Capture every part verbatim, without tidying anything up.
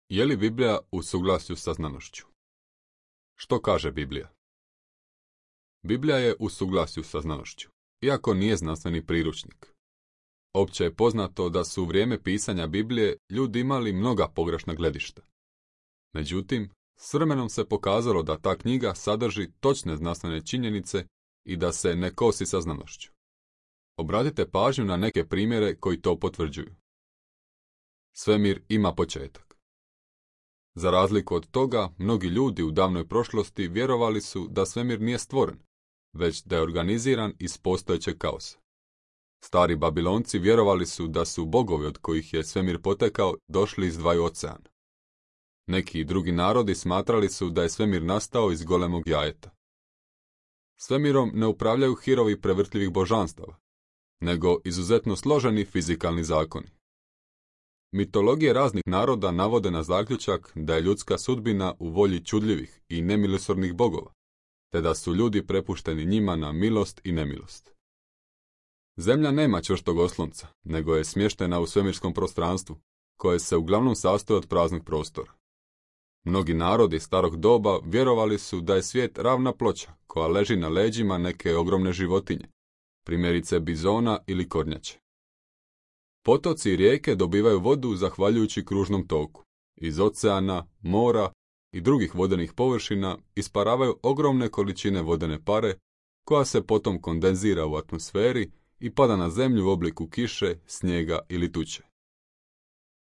Je li Biblija u suglasju sa znanošću? Što kaže Biblija? Biblija je u suglasju sa znanošću, iako nije znanstveni priručnik. Opće je poznato da su u vrijeme pisanja Biblije ljudi imali mnoga pogrešna gledišta. Međutim, s vremenom se pokazalo da ta knjiga sadrži točne znanstvene činjenice i da se ne kosi sa znanošću. Obratite pažnju na neke primjere koji to potvrđuju. Svemir ima početak. Za razliku od toga, mnogi ljudi u davnoj prošlosti vjerovali su da svemir nije stvoren, već da je organiziran iz postojećeg kaosa. Stari Babilonci vjerovali su da su bogovi od kojih je svemir potekao došli iz dvaju oceana. Neki drugi narodi smatrali su da je svemir nastao iz golemog jajeta. Svemirom ne upravljaju hirovi prevrtljivih božanstava, nego izuzetno složeni fizikalni zakoni. Mitologije raznih naroda navode na zaključak da je ljudska sudbina u volji čudljivih i nemilosrdnih bogova, te da su ljudi prepušteni njima na milost i nemilost. Zemlja nema čvrstog oslonca, nego je smještena u svemirskom prostranstvu, koje se uglavnom sastoji od praznog prostora. Mnogi narodi starog doba vjerovali su da je svijet ravna ploča koja leži na leđima neke ogromne životinje, primjerice bizona ili kornjače. Potoci i rijeke dobivaju vodu zahvaljujući kružnom toku. Iz oceana, mora i drugih vodenih površina isparavaju ogromne količine vodene pare, koja se potom kondenzira u atmosferi i pada na zemlju u obliku kiše, snijega ili tuče.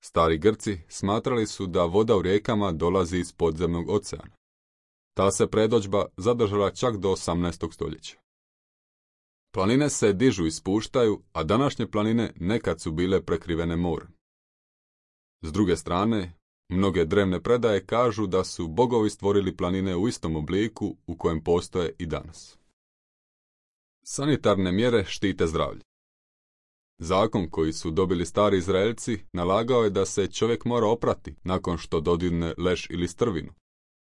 Stari Grci smatrali su da voda u rijekama dolazi iz podzemnog oceana. Ta se predodžba zadržala čak do osamnaestog stoljeća. Planine se dižu i spuštaju, a današnje planine nekad su bile prekrivene morem. S druge strane, mnoge drevne predaje kažu da su bogovi stvorili planine u istom obliku u kojem postoje i danas. Sanitarne mjere štite zdravlje. Zakon koji su dobili stari Izraelci nalagao je da se čovjek mora oprati nakon što dodirne leš ili strvinu,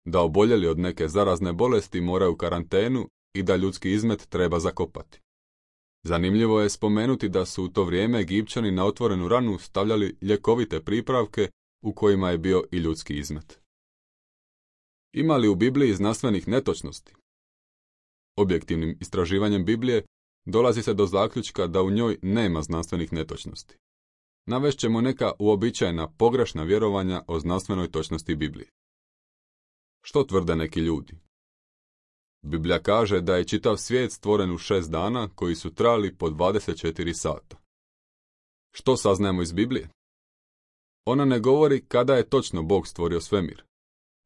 da oboljeli od neke zarazne bolesti moraju u karantenu i da ljudski izmet treba zakopati. Zanimljivo je spomenuti da su u to vrijeme Egipćani na otvorenu ranu stavljali ljekovite pripravke u kojima je bio i ljudski izmet. Ima li u Bibliji znanstvenih netočnosti? Objektivnim istraživanjem Biblije dolazi se do zaključka da u njoj nema znanstvenih netočnosti. Navest ćemo neka uobičajena pogrešna vjerovanja o znanstvenoj točnosti Biblije. Što tvrde neki ljudi? Biblija kaže da je čitav svijet stvoren u šest dana koji su trajali po dvadeset četiri sata. Što saznajemo iz Biblije? Ona ne govori kada je točno Bog stvorio svemir,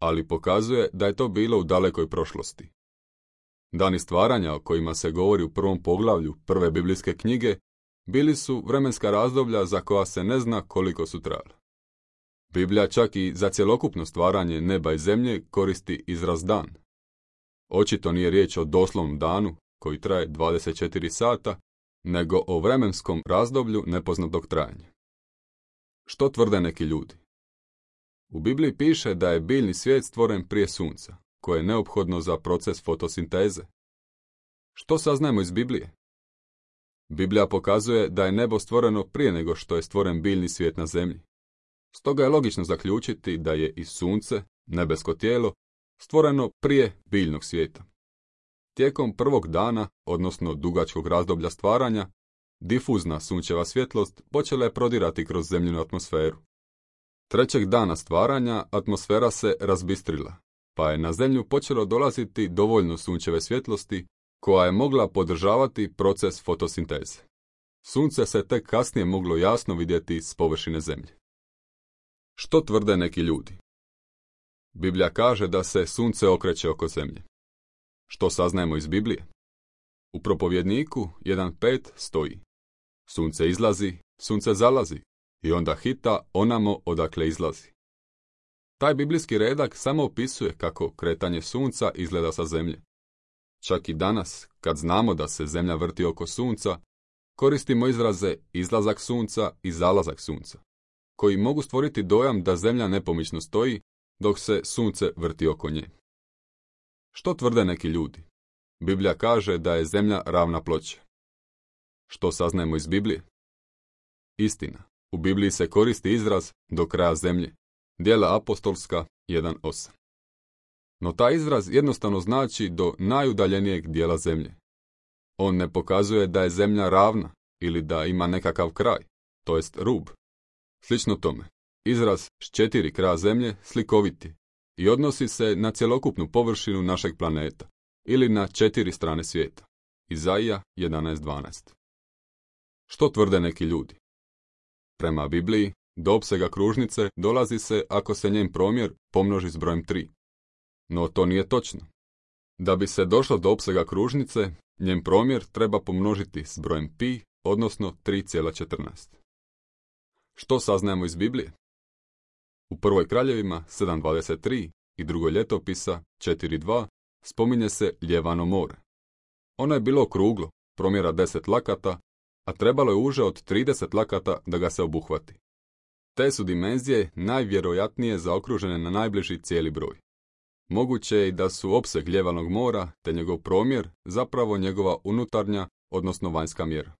ali pokazuje da je to bilo u dalekoj prošlosti. Dani stvaranja o kojima se govori u prvom poglavlju prve biblijske knjige bili su vremenska razdoblja za koja se ne zna koliko su trajala. Biblija čak i za cjelokupno stvaranje neba i zemlje koristi izraz dan. Očito nije riječ o doslovnom danu koji traje dvadeset četiri sata, nego o vremenskom razdoblju nepoznatog trajanja. Što tvrde neki ljudi? U Bibliji piše da je biljni svijet stvoren prije sunca, koje je neophodno za proces fotosinteze. Što saznajemo iz Biblije? Biblija pokazuje da je nebo stvoreno prije nego što je stvoren biljni svijet na zemlji. Stoga je logično zaključiti da je i sunce, nebesko tijelo, stvoreno prije biljnog svijeta. Tijekom prvog dana, odnosno dugačkog razdoblja stvaranja, difuzna sunčeva svjetlost počela je prodirati kroz zemljinu atmosferu. Trećeg dana stvaranja atmosfera se razbistrila, pa je na zemlju počelo dolaziti dovoljno sunčeve svjetlosti koja je mogla podržavati proces fotosinteze. Sunce se tek kasnije moglo jasno vidjeti s površine zemlje. Što tvrde neki ljudi? Biblija kaže da se sunce okreće oko zemlje. Što saznajemo iz Biblije? U propovjedniku jedan pet stoji: sunce izlazi, sunce zalazi i onda hita onamo odakle izlazi. Taj biblijski redak samo opisuje kako kretanje sunca izgleda sa zemlje. Čak i danas, kad znamo da se zemlja vrti oko sunca, koristimo izraze izlazak sunca i zalazak sunca, koji mogu stvoriti dojam da zemlja nepomično stoji dok se sunce vrti oko nje. Što tvrde neki ljudi? Biblija kaže da je zemlja ravna ploča. Što saznajemo iz Biblije? Istina, u Bibliji se koristi izraz do kraja zemlje, Djela apostolska jedan osam. No taj izraz jednostavno znači do najudaljenijeg dijela zemlje. On ne pokazuje da je zemlja ravna ili da ima nekakav kraj, to jest rub. Slično tome, izraz s četiri kraja zemlje slikovit je i odnosi se na cjelokupnu površinu našeg planeta ili na četiri strane svijeta. Izaija jedanaest dvanaest. Što tvrde neki ljudi? Prema Bibliji, do opsega kružnice dolazi se ako se njen promjer pomnoži s brojem tri. No to nije točno. Da bi se došlo do opsega kružnice, njen promjer treba pomnožiti s brojem pi, odnosno tri zarez četrnaest. Što saznajemo iz Biblije? U prvoj kraljevima sedam dvadeset tri i drugoj ljetopisa četiri dva spominje se Ljevano more. Ono je bilo okruglo, promjera deset lakata, a trebalo je uže od trideset lakata da ga se obuhvati. Te su dimenzije najvjerojatnije zaokružene na najbliži cijeli broj. Moguće je i da su opseg Ljevanog mora te njegov promjer zapravo njegova unutarnja, odnosno vanjska mjera.